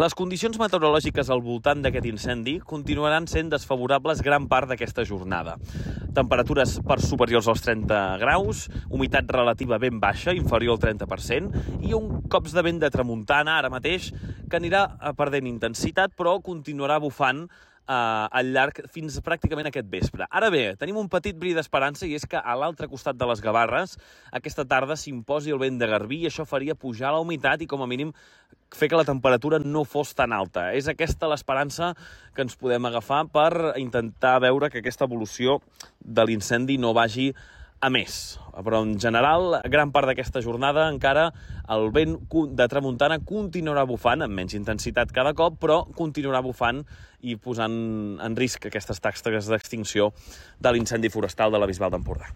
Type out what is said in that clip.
Les condicions meteorològiques al voltant d'aquest incendi continuaran sent desfavorables gran part d'aquesta jornada. Temperatures per superiors als 30 graus, humitat relativa ben baixa, inferior al 30%, i un cops de vent de tramuntana ara mateix que anirà perdent intensitat, però continuarà bufant al llarg fins pràcticament aquest vespre. Ara bé, tenim un petit bri d'esperança i és que a l'altre costat de les Gavarres aquesta tarda s'imposi el vent de garbí i això faria pujar la humitat i com a mínim fer que la temperatura no fos tan alta. És aquesta l'esperança que ens podem agafar per intentar veure que aquesta evolució de l'incendi no vagi a més. Però en general, gran part d'aquesta jornada encara el vent de tramuntana continuarà bufant amb menys intensitat cada cop, però continuarà bufant i posant en risc aquestes taxes d'extinció de l'incendi forestal de la Bisbal d'Empordà.